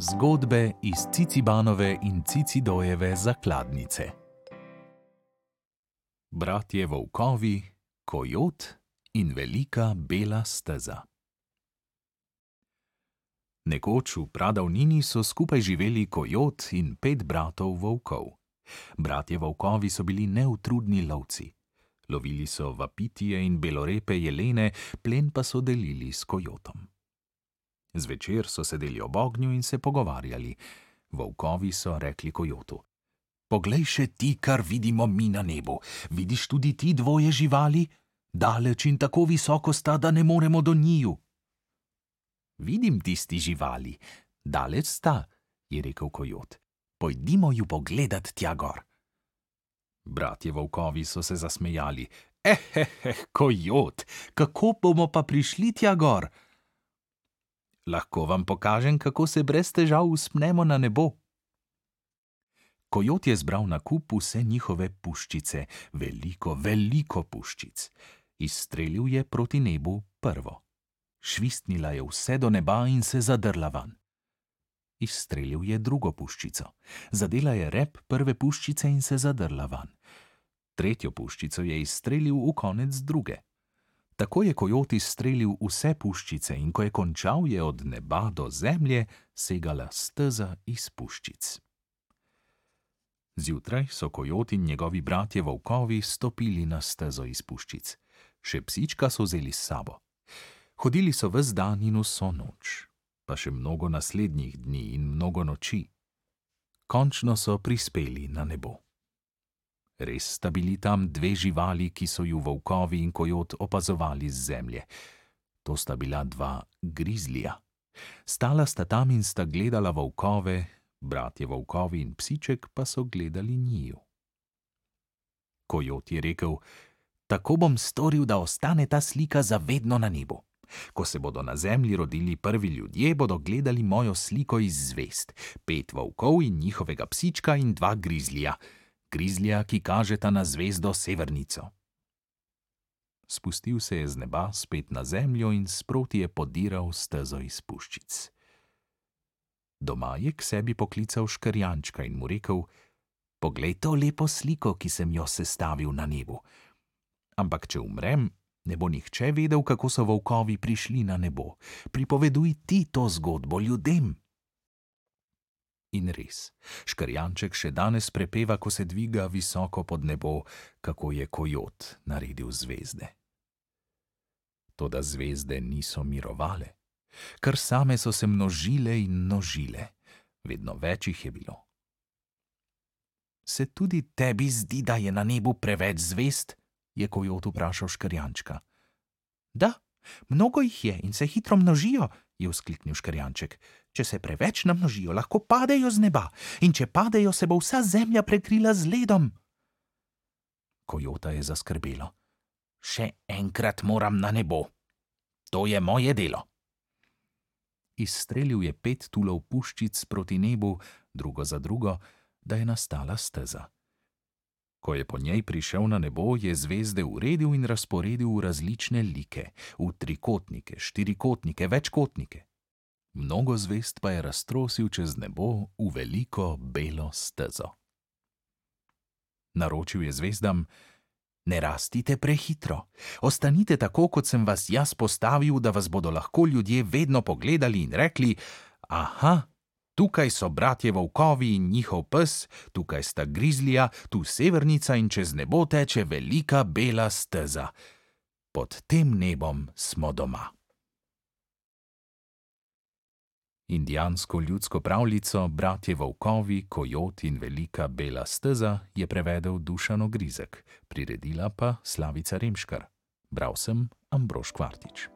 Zgodbe iz Cicibanove in Cicidojeve zakladnice. Bratje volkovi, Kojot in velika bela steza. Nekoč v pradavnini so skupaj živeli Kojot in 5 bratov volkov. Bratje volkovi so bili neutrudni lovci. Lovili so vapitije in belorepe jelene, plen pa so delili s Kojotom. Zvečer so sedeli ob ognju in se pogovarjali. Volkovi so rekli Kojotu: "Poglej še ti, kar vidimo mi na nebu. Vidiš tudi ti dvoje živali? Daleč in tako visoko sta, da ne moremo do njiju." "Vidim tisti živali. Daleč sta," je rekel Kojot. "Pojdimo ju pogledat tja gor." Bratje volkovi so se zasmejali. Kojot, kako bomo pa prišli tja gor?" "Lahko vam pokažem, kako se brez težav vzpnemo na nebo." Kojot je zbral na kup vse njihove puščice, veliko puščic. Izstrelil je proti nebu prvo. Švistnila je vse do neba in se zadrla van. Izstrelil je drugo puščico. Zadela je rep prve puščice in se zadrla van. Tretjo puščico je izstrelil v konec druge. Tako je Kojot izstrelil vse puščice in ko je končal, je od neba do zemlje segala steza iz puščic. Zjutraj so Kojot in njegovi bratje volkovi stopili na stezo iz puščic. Še psička so vzeli s sabo. Hodili so ves dan in vso noč, pa še mnogo naslednjih dni in mnogo noči. Končno so prispeli na nebo. Res sta bili tam 2 živali, ki so ju volkovi in Kojot opazovali z zemlje. To sta bila 2 grizlija. Stala sta tam in sta gledala volkove, bratje volkovi in psiček pa so gledali njiju. Kojot je rekel: "Tako bom storil, da ostane ta slika za vedno na nebu. Ko se bodo na zemlji rodili prvi ljudje, bodo gledali mojo sliko iz zvezd. 5 volkov in njihovega psička in 2 grizlija. Grizlija, ki kažeta na zvezdo Severnico." Spustil se je z neba spet na zemljo in sproti je podiral stezo iz puščic. Doma je k sebi poklical škrjančka in mu rekel: "Poglej to lepo sliko, ki sem jo sestavil na nebu. Ampak če umrem, ne bo nihče vedel, kako so volkovi prišli na nebo. Pripoveduj ti to zgodbo ljudem." In res, škrjanček še danes prepeva, ko se dviga visoko pod nebo, kako je Kojot naredil zvezde. Toda zvezde niso mirovale. Kar same so se množile in množile. Vedno več jih je bilo. "Se tudi tebi zdi, da je na nebu preveč zvezd?" je Kojot vprašal škrjančka. "Da, mnogo jih je in se hitro množijo," je vzkliknil škrjanček. "Če se preveč namnožijo, lahko padejo z neba, in če padejo, se bo vsa zemlja prekrila z ledom." Kojota je zaskrbelo. "Še enkrat moram na nebo. To je moje delo." Izstrelil je 5 tulov puščic proti nebu, drugo za drugo, da je nastala steza. Ko je po njej prišel na nebo, je zvezde uredil in razporedil v različne like, v trikotnike, štirikotnike, večkotnike. Mnogo zvezd pa je raztrosil čez nebo v veliko belo stezo. Naročil je zvezdam: "Ne rastite prehitro. Ostanite tako, kot sem vas jaz postavil, da vas bodo lahko ljudje vedno pogledali in rekli: aha, tukaj so bratje volkovi in njihov pes, tukaj sta grizlija, tu Severnica in čez nebo teče velika bela steza. Pod tem nebom smo doma." Indijansko ljudsko pravljico Bratje volkovi, Kojot in velika bela steza je prevedel Dušan Ogrizek, priredila pa Slavica Remškar. Bral sem Ambrož Kvartič.